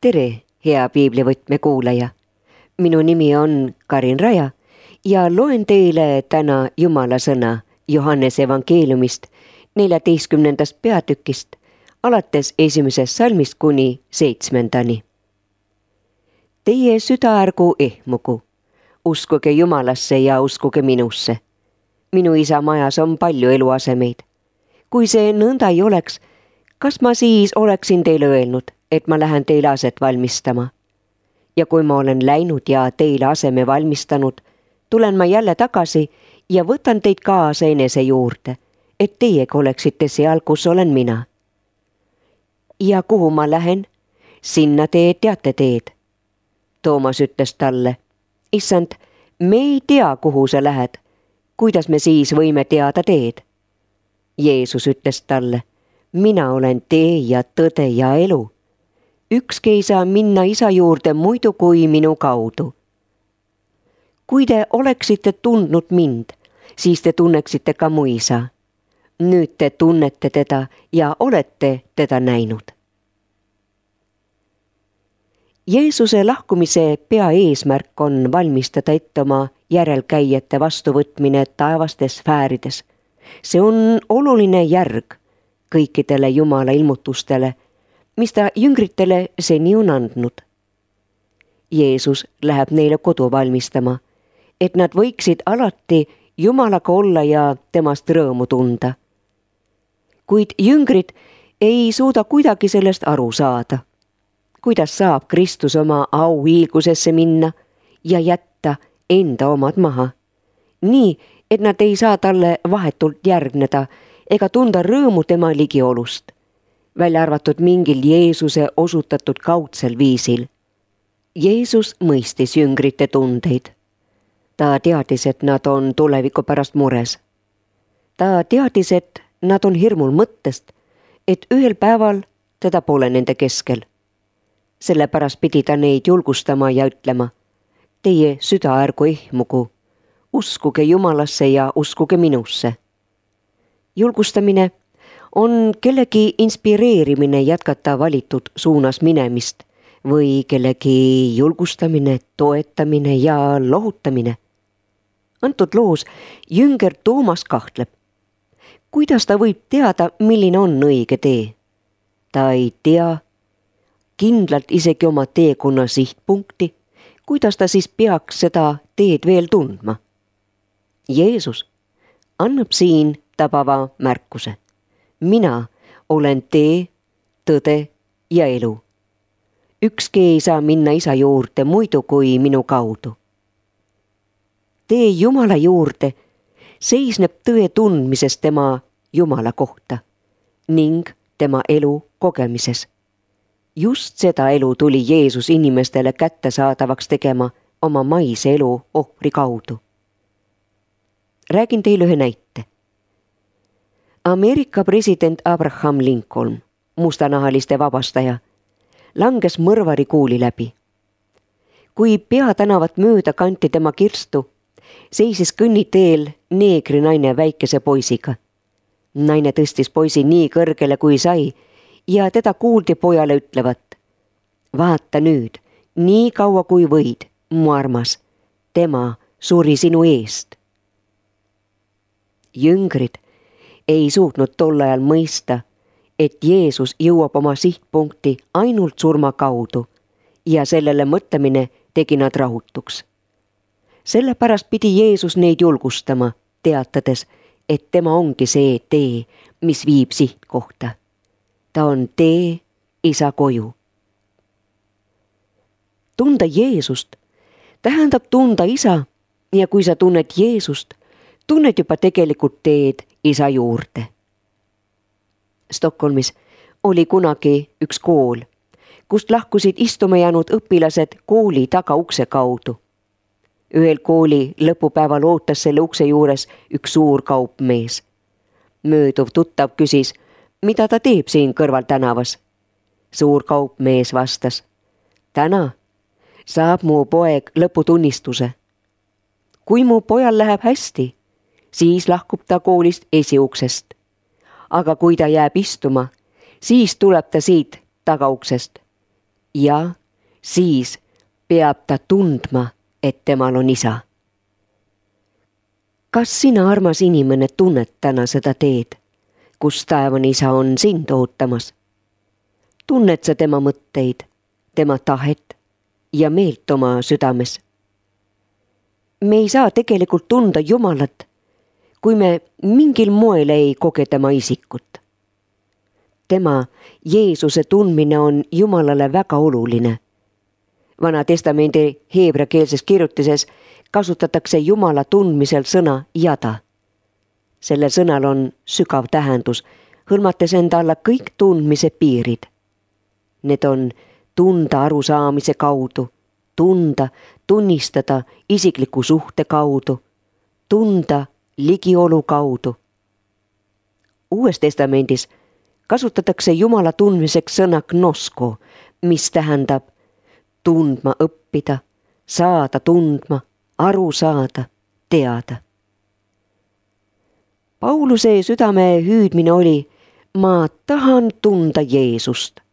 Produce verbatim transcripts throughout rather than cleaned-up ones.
Tere, hea piiblivõtme kuulaja. Minu nimi on Karin Raja ja loen teile täna Jumala sõna Johannese evangeeliumist neljateistkümnendast peatükist alates esimesest salmist kuni seitsmendani. Teie süda ärgu ehmugu, uskuge Jumalasse ja uskuge minusse. Minu isa majas on palju eluasemeid. Kui see nõnda ei oleks, kas ma siis oleksin teile öelnud, et ma lähen teile aset valmistama? Ja kui ma olen läinud ja teile aseme valmistanud, tulen ma jälle tagasi ja võtan teid kaasa enese juurde, et teiega oleksite seal, kus olen mina. Ja kuhu ma lähen, sinna te teate teed. Toomas ütles talle, issand, me ei tea, kuhu sa lähed. Kuidas me siis võime teada teed? Jeesus ütles talle, mina olen tee ja tõde ja elu. Ükski ei saa minna isa juurde muidu kui minu kaudu. Kui te oleksite tundnud mind, siis te tunneksite ka mu isa. Nüüd te tunnete teda ja olete teda näinud. Jeesuse lahkumise peaeesmärk on valmistada ette oma järelkäijate vastuvõtmine taevastes sfäärides. See on oluline järg kõikidele Jumala ilmutustele, mis ta jüngritele seni on andnud. Jeesus läheb neile kodu valmistama, et nad võiksid alati Jumalaga olla ja temast rõõmu tunda. Kuid jüngrid ei suuda kuidagi sellest aru saada. Kuidas saab Kristus oma auhiilgusesse minna ja jätta enda omad maha? Nii, et nad ei saa talle vahetult järgneda ega tunda rõõmu tema ligiolust, välja arvatud mingil Jeesuse osutatud kaudsel viisil. Jeesus mõistis jüngrite tundeid. Ta teadis, et nad on tuleviku pärast mures. Ta teadis, et nad on hirmul mõttest, et ühel päeval teda pole nende keskel. Sellepärast pidi ta neid julgustama ja ütlema, teie süda ärgu ehmugu, uskuge Jumalasse ja uskuge minusse. Julgustamine on kellegi inspireerimine jätkata valitud suunas minemist või kellegi julgustamine, toetamine ja lohutamine. Antud loos jünger Toomas kahtleb. Kuidas ta võib teada, milline on õige tee? Ta ei tea kindlalt isegi oma teekonna sihtpunkti, kuidas ta siis peaks seda teed veel tundma. Jeesus annab siin tabava märkuse. Mina olen tee, tõde ja elu. Ükski ei saa minna isa juurde muidu kui minu kaudu. Tee Jumala juurde seisneb tõe tundmises tema Jumala kohta ning tema elu kogemises. Just seda elu tuli Jeesus inimestele kättesaadavaks tegema oma maise elu ohvri kaudu. Räägin teile ühe näite. Ameerika president Abraham Lincoln, mustanahaliste vabastaja, langes mõrvari kuuli läbi. Kui peatänavat mööda kanti tema kirstu, seisis kõnniteel neegri naine väikese poisiga. Naine tõstis poisi nii kõrgele kui sai ja teda kuuldi pojale ütlevat, vaata nüüd, nii kaua kui võid, mu armas, tema suri sinu eest. Jüngrid ei suutnud tol ajal mõista, et Jeesus jõuab oma sihtpunkti ainult surma kaudu ja sellele mõtlemine tegi nad rahutuks. Sellepärast pidi Jeesus neid julgustama, teatades, et tema ongi see tee, mis viib sihtkohta. Ta on tee isa koju. Tunda Jeesust tähendab tunda isa ja kui sa tunned Jeesust, tunned juba tegelikult teed isa juurde. Stockholmis oli kunagi üks kool, kust lahkusid istuma jäänud õpilased kooli tagaukse kaudu. Ühel kooli lõpupäeval ootas selle ukse juures üks suur kaupmees. Mööduv tuttav küsis, mida ta teeb siin kõrval tänavas. Suur kaupmees vastas, täna saab mu poeg lõputunnistuse. Kui mu pojal läheb hästi, siis lahkub ta koolist esiuksest. Aga kui ta jääb istuma, siis tuleb ta siit tagauksest. ja siis peab ta tundma, et temal on isa. Kas sina, armas inimene, tunned täna seda teed, kus taevane isa on sind ootamas? Tunned sa tema mõtteid, tema tahet ja meelt oma südames? Me ei saa tegelikult tunda Jumalat, kui me mingil moel ei koge tema isikut. Tema, Jeesuse tundmine on Jumalale väga oluline. Vana testamendi heebreakeelses kirjutises kasutatakse Jumala tundmisel sõna jada. Sellel sõnal on sügav tähendus, hõlmates enda alla kõik tundmise piirid. Need on tunda arusaamise kaudu, tunda, tunnistada isikliku suhte kaudu, tunda ligiolu kaudu. Uues testamendis kasutatakse Jumala tundmiseks sõna gnosko, mis tähendab tundma õppida, saada tundma, aru saada, teada. Pauluse südame hüüdmine oli, ma tahan tunda Jeesust.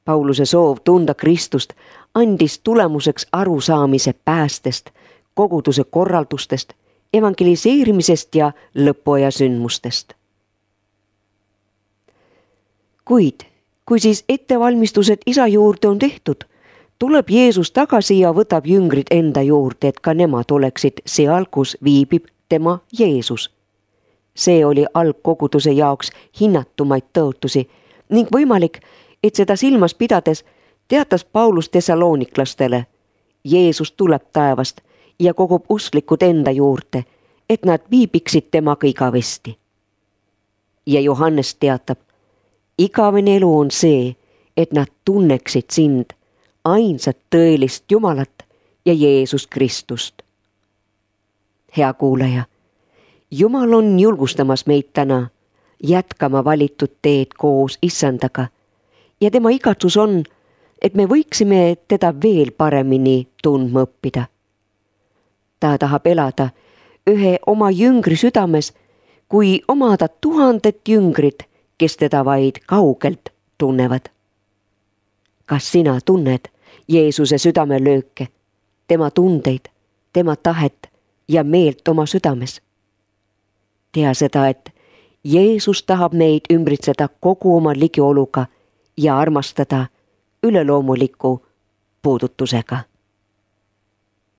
Pauluse soov tunda Kristust andis tulemuseks arusaamise päästest, koguduse korraldustest, evangeliseerimisest ja lõpuaja sündmustest. Kuid, kui siis ettevalmistused isa juurde on tehtud, tuleb Jeesus tagasi ja võtab jüngrid enda juurde, et ka nemad oleksid seal, kus viibib tema Jeesus. See oli algkoguduse jaoks hinnatumaid tõotusi ning võimalik, et seda silmas pidades teatas Paulus tesalooniklastele, Jeesus tuleb taevast ja kogub usklikud enda juurde, et nad viibiksid temaga igavesti. Ja Johannes teatab, igavene elu on see, et nad tunneksid sind, ainsat tõelist Jumalat ja Jeesus Kristust. Hea kuulaja, Jumal on julgustamas meid täna jätkama valitud teed koos issandaga ja tema igatsus on, et me võiksime teda veel paremini tundma õppida. Ta tahab elada ühe oma jüngri südames, kui omada tuhandet jüngrit, kes teda vaid kaugelt tunnevad. Kas sina tunned Jeesuse südamelööke, tema tundeid, tema tahet ja meelt oma südames? Tea seda, et Jeesus tahab meid ümbritseda kogu oma ligioluga ja armastada üleloomuliku puudutusega.